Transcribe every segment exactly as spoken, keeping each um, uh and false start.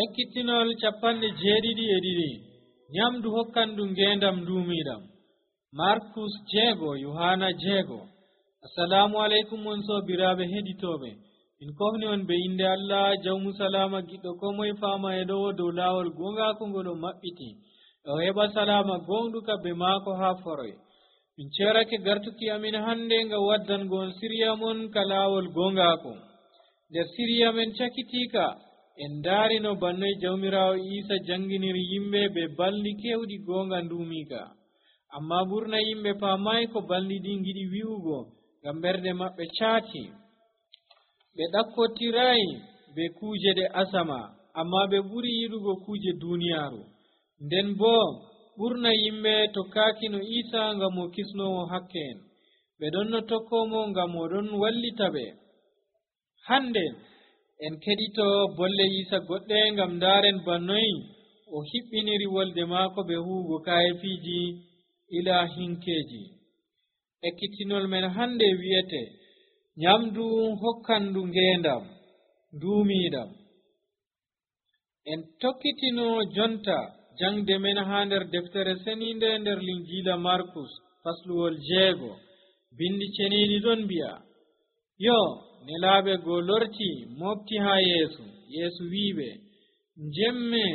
ekkitinol capanɗe jeeɗiɗi e ɗiɗi nyamdu hokkandu ngendam duumiɗam. Markus jeego Yohana jeego. Assalamu alaikum on sobiraɓe heɗitoɓe. min kofni on be inde Allah jawmu salama giɗɗo ko moye fama e ɗo dow lawol gongako ngol o maɓɓiti o heɓa salama gonɗuka be maako ha foroy. min cerake gartuki amin hande ngam waddango on siriya mon ka lawol gongako. nder siriya men cakitika en darino bannoy jawmirawo Isa janginiri yimɓe be balli kewɗi gonga ndumika, amma ɓurna yimɓe pamay ko balli ɗi giɗi wi'ugo ngam ɓerde maɓɓe caati. ɓe ɗakkotiray be kuje ɗe asama, amma ɓe ɓuri yiɗugo kuje duniyaru. nden bo ɓurna yimɓe tokkaki no Isa ngam o kisnowo hakke en. ɓe ɗon no tokkomo ngam o ɗon wallita ɓe. hande en keɗito bolle Isa goɗɗe ngam daren bannoyi o hiɓɓiniri wolde maako be huugo kayefiji ila hinkeji. ekkitinol men hande wi'ete nyamdu hokkandu ngendam duumiɗam. en tokkitino jonta jangde men ha nder deftere seninde nder linjila Markus fasluwol jeego. bindi ceniɗi ɗon mbi'a yo nelaɓe go lorti mofti ha yeesu. yeesu wiɓe jemme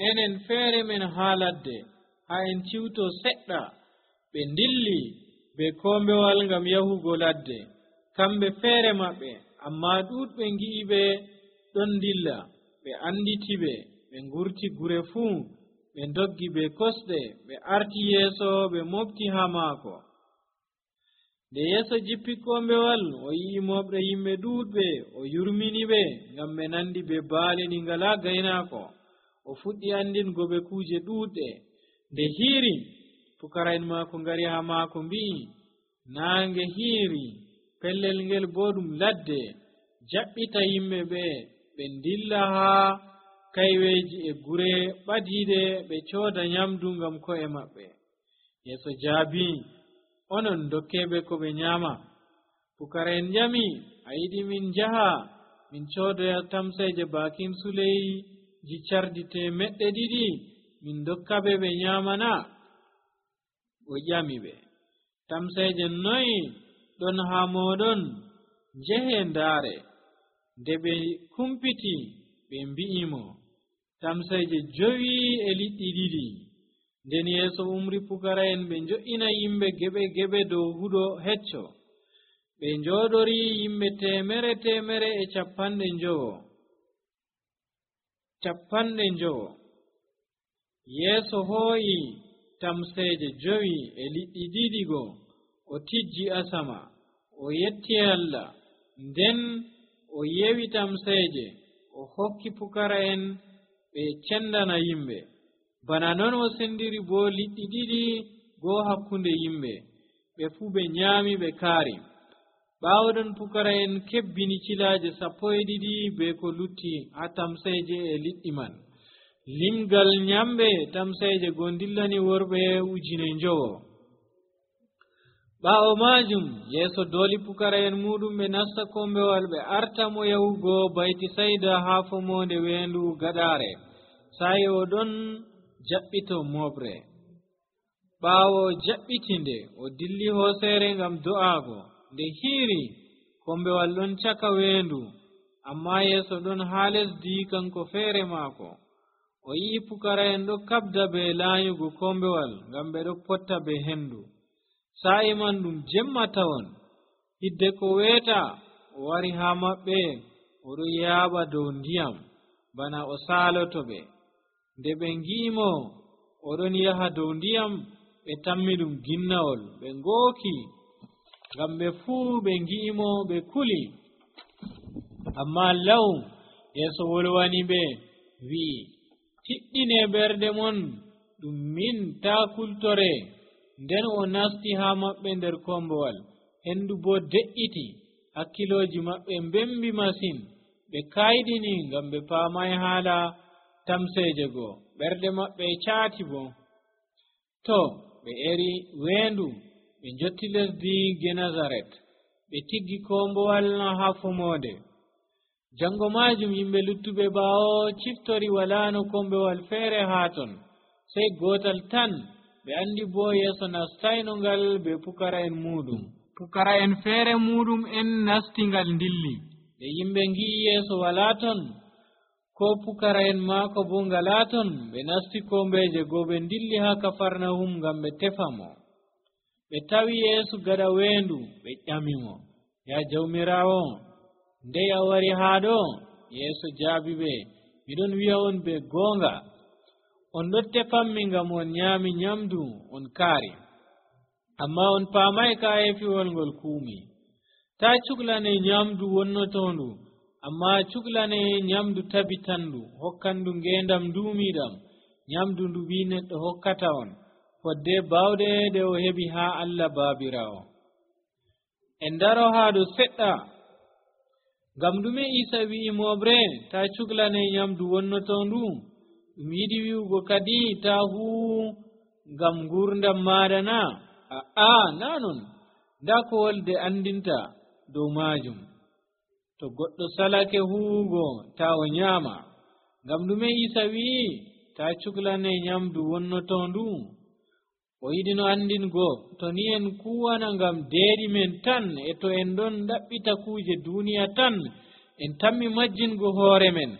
enen feere men ha ladde ha en ciwto seɗɗa. ɓe dilli be kombewal ngam yahugo ladde kamɓe feere maɓɓe, amma ɗuɗɓe ngi'iɓe ɗon dilla. ɓe anditi ɓe ɓe ngurti gure fuu, ɓe doggi be kosɗe ɓe arti yeeso ɓe mofti ha maako. nde yeeso jippi kombewal o yi'i moɓre yimɓe ɗuɗɓe o yurmini ɓe ngam ɓe nandi be baali ɗi ngala gaynaako. o fuɗɗi andingo ɓe kuje ɗuɗɗe. nde hiiri pukara'en maako ngari ha maako mbi'i naange hiiri pellel ngel bo ɗum ladde, jaɓɓita yimɓe ɓe ɓe dilla ha kayweji e gure ɓadiide ɓe cooda nyamdu ngam ko'e maɓɓe. yeeso jaabi onon dokkeɓe ko ɓe nyama. pukara'en njami a yiɗi min njaha min coodoya tamseje bakin suleyji cardi temeɗɗe ɗiɗi min dokkaɓe ɓe nyamana? o ƴami ɓe tamseje noyi ɗon ha moɗon? njehe ndaare. nde ɓe kumpiti ɓe mbi'imo tamseje jowi e liɗɗi ɗiɗi. nden yeeso umri pukara'en ɓe njo'ina yimɓe geɓe geɓe dow huɗo hecco. ɓe njooɗori yimɓe temere temere e capanɗe njowo capanɗe njowo. yeeso hooyi tamseje jowi e liɗɗi ɗiɗi go o tijji asama o yetti Allah, nden o yewi tamseje o hokki pukara'en ɓe cendana yimɓe. bana non o sendiri bo liɗɗi ɗiɗi goo hakkunde yimɓe. ɓe fuu ɓe nyaami ɓe kaari. ɓaawɗon pukara'en kebbini cilaje sappo e ɗiɗi be ko lutti ha tamseje e liɗɗi man. limgal nyamɓe tamseje go dillani worɓe ujine njowo. ɓaawo majum yeeso dooli pukara'en muɗum ɓe nasta kombewal ɓe arta mo yahugo bayti sayda ha fomonde weendu gaɗaare. sa'i o ɗon jaɓɓito moɓre. ɓaawo jaɓɓitinde o dilli hooseere ngam do'aago. nde hiiri kombewal ɗon caka weendu, amma yeeso ɗon ha lesdi kanko feere maako. o yi'i pukara'en ɗo kabda be laanyugo kombewal ngam ɓe ɗo potta be hendu. sa'i man ɗum jemma tawon. hidde ko weeta o wari ha maɓɓe o ɗo yaaɓa dow ndiyam bana o saaloto ɓe. nde ɓe ngi'imo o ɗon yaha dow ndiyam ɓe tammi ɗum ginnawol ɓe ngooki ngam ɓe fuu ɓe ngi'imo ɓe kuli. amma law yeeso wolwani ɓe wi'i tiɗɗine ɓerde mon ɗum min taa kultore. nden o nasti ha maɓɓe nder kombowal. hendu bo de'iti. hakkiloji maɓɓe mbembi masin. ɓe kayɗini ngam ɓe paamay haala tamseje goo. ɓerde maɓɓe caati bo. to ɓe eri weendu ɓe jotti lesdi Genazaret. ɓe tiggi kombowal ha fomonde. jango majum yimɓe luttuɓe ɓaawo ciftori walano kombewal feere haa ton, sey gotal tan ɓe andi bo yeeso nastaino ngal be pukara en muɗum. Pukara en feere muɗum en nasti ngal dilli. Nde yimɓe ngi'i yeeso wala ton ko pukara en maako bo ngala ton, ɓe nasti kombeje goo ɓe dilli haa Kafarnahum ngam ɓe tefa mo. Ɓe tawi Yeesu gaɗa weendu, ɓe ƴamimo, ya Jawmiraawo, ndey a wari haa ɗo? Yeesu jaabi ɓe, miɗon wi'a on be goonga, on ɗo tefanmi ngam on nyaami nyamdu on kaari, amma on paamay kaayefiwol ngol kuumi. Ta cuklane nyamdu wonnotondu, amma cuklane nyamdu tabitandu, hokkandu ngeendam duumiiɗam, nyamdu ndu ɓii neɗɗo hokkata on, fodde bawɗe ɗe o heɓi haa Allah Baabiraawo. En daro haa ɗo seɗɗa. Ngam ɗume Iisa wi'i moɓre ta cuklane nyamdu wonnotondu? Ɗum yiɗi wi'ugo kadi ta huu ngam ngurdam maɗa na? Aa, na non. Nda ko wolde andinta dow majum. To goɗɗo salake huugo ta o nyama. Ngam ɗume Iisa wi'i ta cuklane nyamdu wonnotondu? O yiɗi no andingo to ni en kuwana ngam deeɗi men tan, e to en ɗon ɗaɓɓita kuje duniya tan, en tammi majjingo hoore men,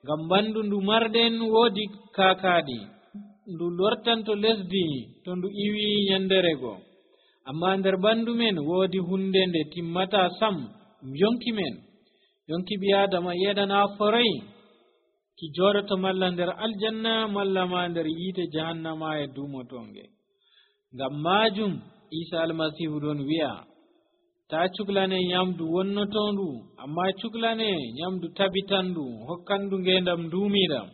ngam ɓandu ndu marɗen woodi kaakaɗi, ndu lortanto lesdi to ndu iwi yanderego. Amma nder ɓandu men woodi hunde nde timmata sam, ɗum yonki men. Yonki ɓi Adama yeɗana foroy ki joɗoto malla nder aljanna malla ma nder yiite jahannama e dumotonge. Ngam majum Isa almasihu ɗon wi'a ta cuklane nyamdu wonnotondu, amma cuklane nyamdu tabitandu, hokkandu ngendam duumiɗam.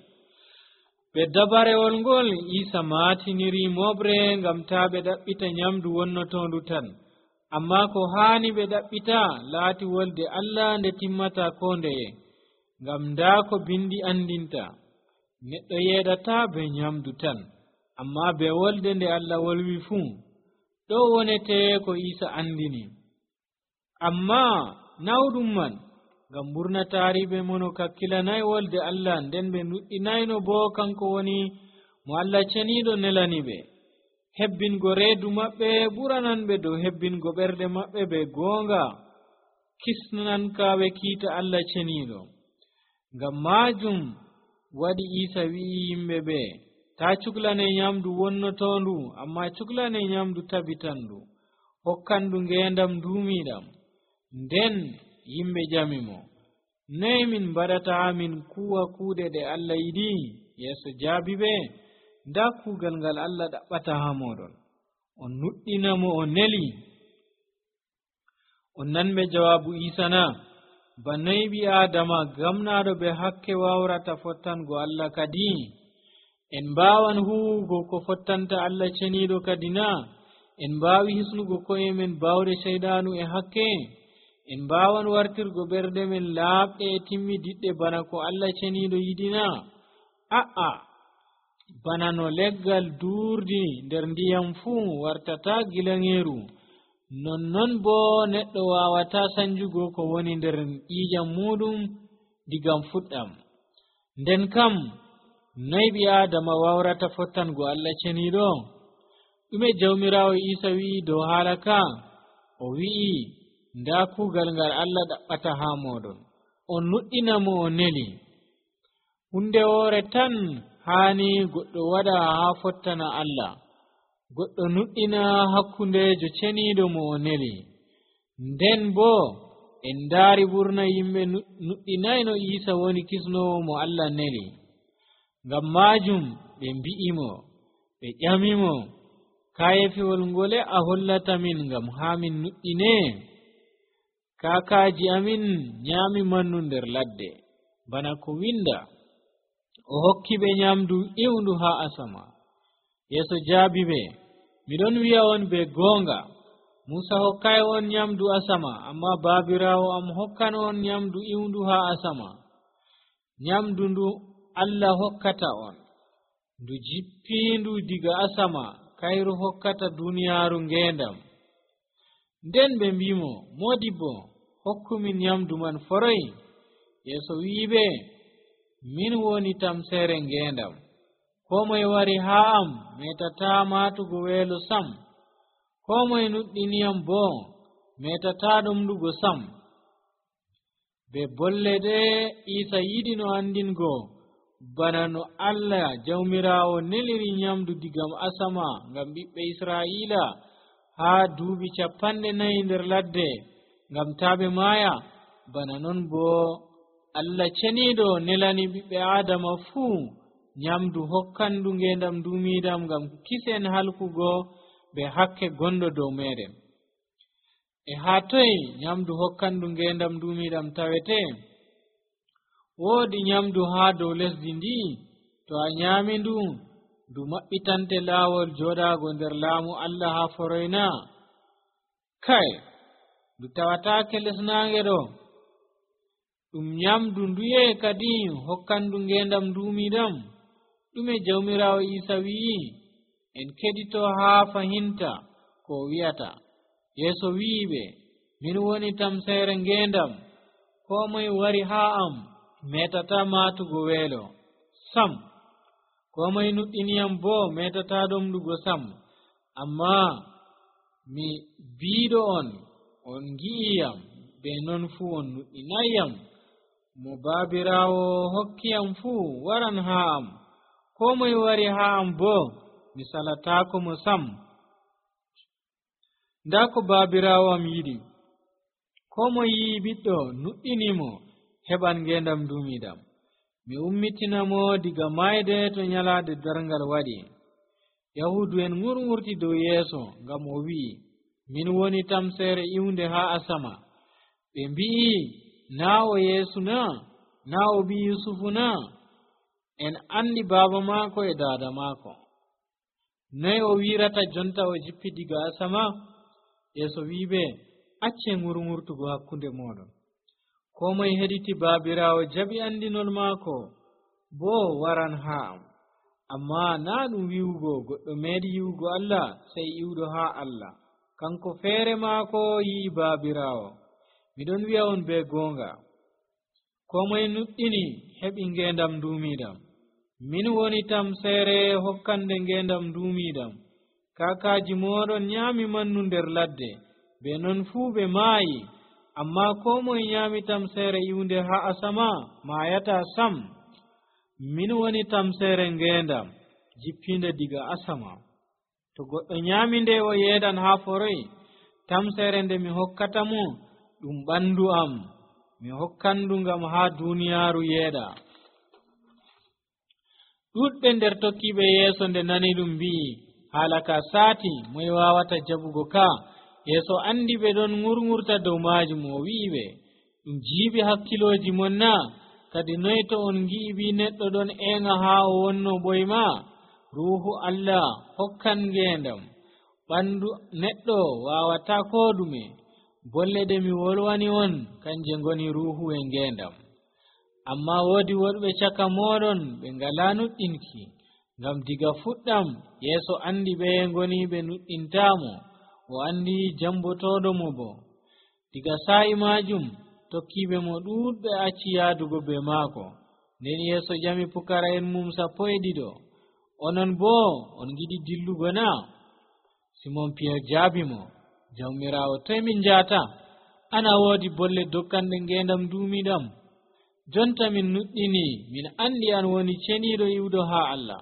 Ɓe dabarewol ngol Isa maatiniri moɓre ngam ta ɓe ɗaɓɓita nyamdu wonnotondu tan, amma ko haani ɓe ɗaɓɓita laati wolde Allah nde timmata ko ndeye. Ngam nda ko bindi andinta, neɗɗo yeɗata be nyamdu tan, amma be wolde nde Allah wolwi fuu. Ɗo wonete ko Isa andini. Amma nawɗum man, ngam ɓurnataariɓe mono kakkilanay wolde Allah, nden ɓe nuɗɗinayno bo kanko woni mo Allah ceniiɗo nelani ɓe. Hebbingo reedu maɓɓe ɓurananɓe dow hebbingo ɓerɗe maɓɓe be goonga kisnankaɓe kiita Allah ceniiɗo. Ngam majum waɗi Isa wi'i yimɓe ɓe ta cuklane nyamdu wonnotondu, amma cuklane nyamdu tabitandu, hokkandu ngendam duumiɗam. Nden yimɓe ƴamimo, noye min mbaɗata min kuwa kuuɗe ɗe Allah yiɗi? Yeeso jaabi ɓe, nda kuugal ngal Allah ɗaɓɓata haa moɗon, on nuɗɗinamo o neli. On nanɓe jawaabu Isa na? Ba noy ɓi Adama gamnaɗo be hakke wawrata fottango Allah kadi? En mbawan huwugo ko fottanta Allah ceniiɗo kadi na? En mbawi hisnugo koye men bawɗe seyɗanu e hakke? En mbawan wartirgo ɓerɗe men laaɓɗe e timmidiɗɗe bana ko Allah ceniiɗo yiɗina? A'a, bana no leggal duurdi nder ndiyam fuu wartata gilangeeru, nonnon bo neɗɗo wawata sanjugo ko woni nder ƴiƴam muɗum digam fuɗɗam. Nden kam noy ɓi Adama wawrata fottango Allah ceniiɗo? Ɗume Jawmiraawo Isa wi'i dow haala ka? O wi'i nda kuugal ngal Allah ɗaɓɓata haa moɗon, on nuɗɗina mo o neli. Hunde woore tan haani goɗɗo waɗa haa fottana Allah, goɗɗo nuɗɗina hakkundejo ceniiɗo mo o neli. Nden bo en ndaari ɓurna yimɓe nuɗɗinayno Isa woni kisnowo mo Allah neli. Ngam majum ɓe mbi'imo, ɓe ƴamimo, kayefiwol ngole a hollata min ngam haa min nuɗɗine? Kaakaaji amin nyaami mannu nder ladde, bana ko winda, o hokki ɓe nyamdu iwndu haa asama. Yeeso jaabi ɓe, miɗon wi'a on be goonga, Musa hokkay on nyamdu asama, amma Baabiraawo am hokkan on nyamdu iwndu haa asama. Nyamdu ndu Allah hokkata on, ndu jippindu diga asama, kayru hokkata duniyaaru ngendam. Nden ɓe mbimo, modibbo hokkumin nyamdu man foroy. yeso wiibe min woni tamsere ngendam ko moye wari haa am metata matugo weelo sam ko moye nuɗɗiniyam bo metata ɗomɗugo sam. Be bolle ɗe Isa yiɗi no andingo bana no Allah jawmirawo neliri nyamdu digam asama ngam ɓiɓɓe Israila haa duuɓi capanɗe nayi nder ladde ngam taaɓe maaya, bana non bo Allah ceniiɗo nelani ɓiɓɓe Adama fuu nyamdu hokkandu ngendam duumidam ngam kisen halkugo be hakke gondo dow meɗen. E haa toye nyamdu hokkandu ngendam duumidam tawete? Woodi nyamdu haa dow lesdi ndi, to a nyaami ndu ndu maɓɓitante laawol joɗaago nder laamu Allah haa foroyna. Kai ndu tawataake lesnaange ɗo. Ɗum nyamdu nduye kadi hokkandu ngendam duumidam? ɗume jawmirawo Isa wi'i? En keɗito haa fahinta ko wi'ata. Yeso wi'iɓe, min woni tamsere ngendam, ko moye wari haa am metata matugo weelo sam, ko moye nuɗɗiniyam bo metata ɗomɗugo sam. Amma mi biiɗo on, on gi'iyam, be non fuu on nuɗɗinayyam. Mo baabirawo hokkiyam fuu waran haa am, ko moye wari haa am bo mi salatako mo sam. Nda ko baabirawo am yiɗi, ko moye yi'i ɓiɗɗo nuɗɗinimo heɓan ngendam duumidam. Mi ummitinamo diga mayde to nyalaade darngal waɗi. Yahudu en ŋurŋurti dow Yeeso ngam o wi'i, min woni tamsere iwnde haa asama. Ɓe mbi'i, naa o Yeesu na? Naa o ɓi Yusufu na? En andi baaba maako e daada maako. Noy o wirata jonta o jippi diga asama? Yeeso wi'iɓe, acce ŋurŋurtugo hakkunde moɗon. Ko moye heɗiti baabirawo jaɓi andinol maako, bo waran haa am. Amma naa ɗum wi'ugo goɗɗo meeɗi yi'ugo Allah sey iwɗo haa Allah. Kanko feere maako yi'i baabirawo. Miɗon wi'a on be goonga, ko moye nuɗɗini heɓi ngendam duumidam. Min woni tamsere hokkande ngendam duumidam. Kaakaaji moɗon nyaami mannu nder ladde, be non fuu ɓe maayi. Amma ko moye nyaami tamsere iwnde haa asama maayata sam. Min woni tamsere ngendam jippinde diga asama. To goɗɗo nyaami nde o yeedan haa foroy, tamsere nde mi hokkata mo ɗum ɓandu am, mi hokkandu ngam haa duniyaaru yeeɗa. Ɗuɗɓe nder tokkiɓe Yeeso nde nani ɗum mbi'i, haala ka saati, moye wawata jaɓugo ka? Yeeso andi ɓe ɗon ŋurŋurta dow maajum, o wi'iɓe, ɗum jiiɓi hakkiloji mon na? Kadi noy to on ngi'i ɓi neɗɗo ɗon eŋa haa o wonno ɓoyma? Ruuhu Allah hokkan ngendam, ɓandu neɗɗo wawata ko ɗume. Bolle ɗe mi wolwani on kanje ngoni ruuhu e ngendam. Amma woodi woɗɓe caka moɗon ɓe ngala nuɗɗinki, ngam diga fuɗɗam Yeeso andi ɓe ngoni ɓe nuɗɗintamo, o andi jambotoɗo mo bo. Diga sa'i majum tokkiɓe mo ɗuɗɓe acci yaadugo be maako. Nden Yeeso ƴami pukara'en mum sappo e ɗiɗo, onon bo on giɗi dillugo na? Simon Piyer jaabi mo, jawmirawo, toye min njata? Ana woodi bolle dokkanɗe ngendam duumidam. Jonta min nuɗɗini, min andi an woni ceniiɗo iwɗo haa Allah.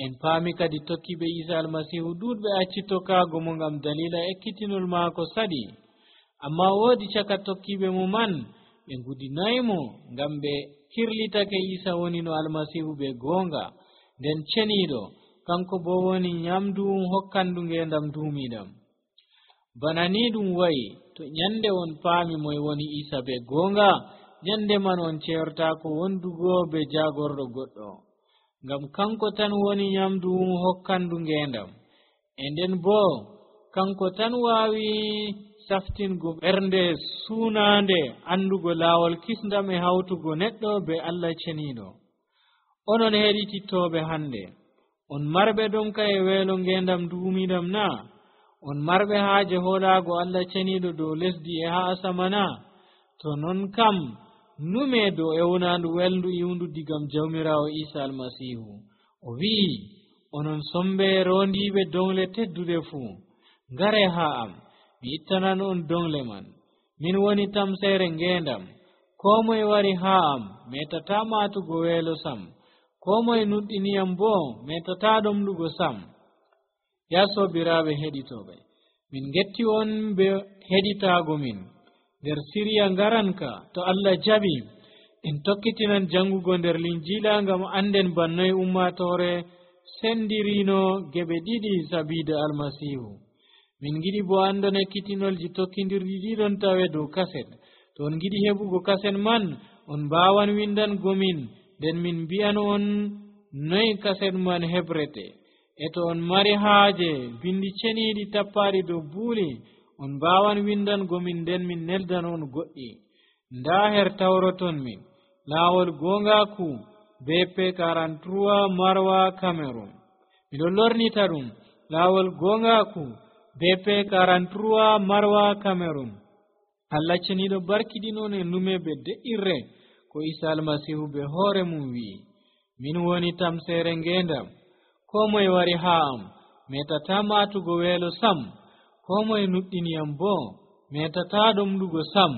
En paami kadi tokkiɓe Isa almasihu ɗuɗɓe acci tokkaago mo ngam dalila ekkitinol maako saɗi. Amma woodi caka tokkiɓe mo man ɓe ngudinaymo ngam ɓe kirlitake Isa woni no almasihu ɓe goonga, nden ceniiɗo, kanko bo woni nyamdu hokkandu ngendam duumidam. Bana ni ɗum wayi, to nyande on paami moye woni Isa ɓe goonga, nyande man on ceertako wondugo be jagorɗo goɗɗo, ngam kanko tan woni nyamdu hokkandu ngendam. E nden bo kanko tan waawi saftingo ɓernde suunande andugo laawol kisndam e hawtugo neɗɗo be Allah ceniiɗo. Onon heɗitittoɓe hande, on marɓe ɗonka e weelo ngendam duumidam na? On marɓe haaje hoolaago Allah ceniiɗo dow lesdi e haa asama na? To non kam nume do ewnandu welndu iwndu digam jawmirawo Isa almasihu o wi'i onon sombe rondiɓe dongle teddude fuu ngare ha am mi ittanan on dongle man min woni tamsere ngendam ko moye wari ha am metata matugo weelo sam ko moye nuɗɗiniyam bo metata ɗomɗugo sam. Ya sobiraɓe heɗitoɓe, min getti on be heɗitago min nder siriya ngaranka to Allah jaɓi en tokkitinan jangugo nder linjila ngam anden bannoy ummatore sendirino geɓe ɗiɗi sabida almasihu. min giɗi bo andon ekkitinolji tokkidirɗi ɗiɗon tawe dow kaset. to on giɗi heɓugo kaset man on mbawan windango min nden min mbi'an on noy kaset man hebrete. e to on mari haaje bindi ceniɗi tappaɗi dow buuli on mbawan windango min nden min neldan on goɗɗi. nda her tawroton min laawol gongaku B P quarante-trois Marwa Cameroon. miɗon lornita ɗum laawol gongaku B P quarante-trois Marwa Cameroon. Allah ceniɗo barkiɗinon e numeɓe de'irre ko Isa almasihu be hoore mum wi'i min woni tamsere ngendam ko moye wari ha am metata matugo weelo sam ko moye nuɗɗiniyam bo metata ɗomɗugo sam.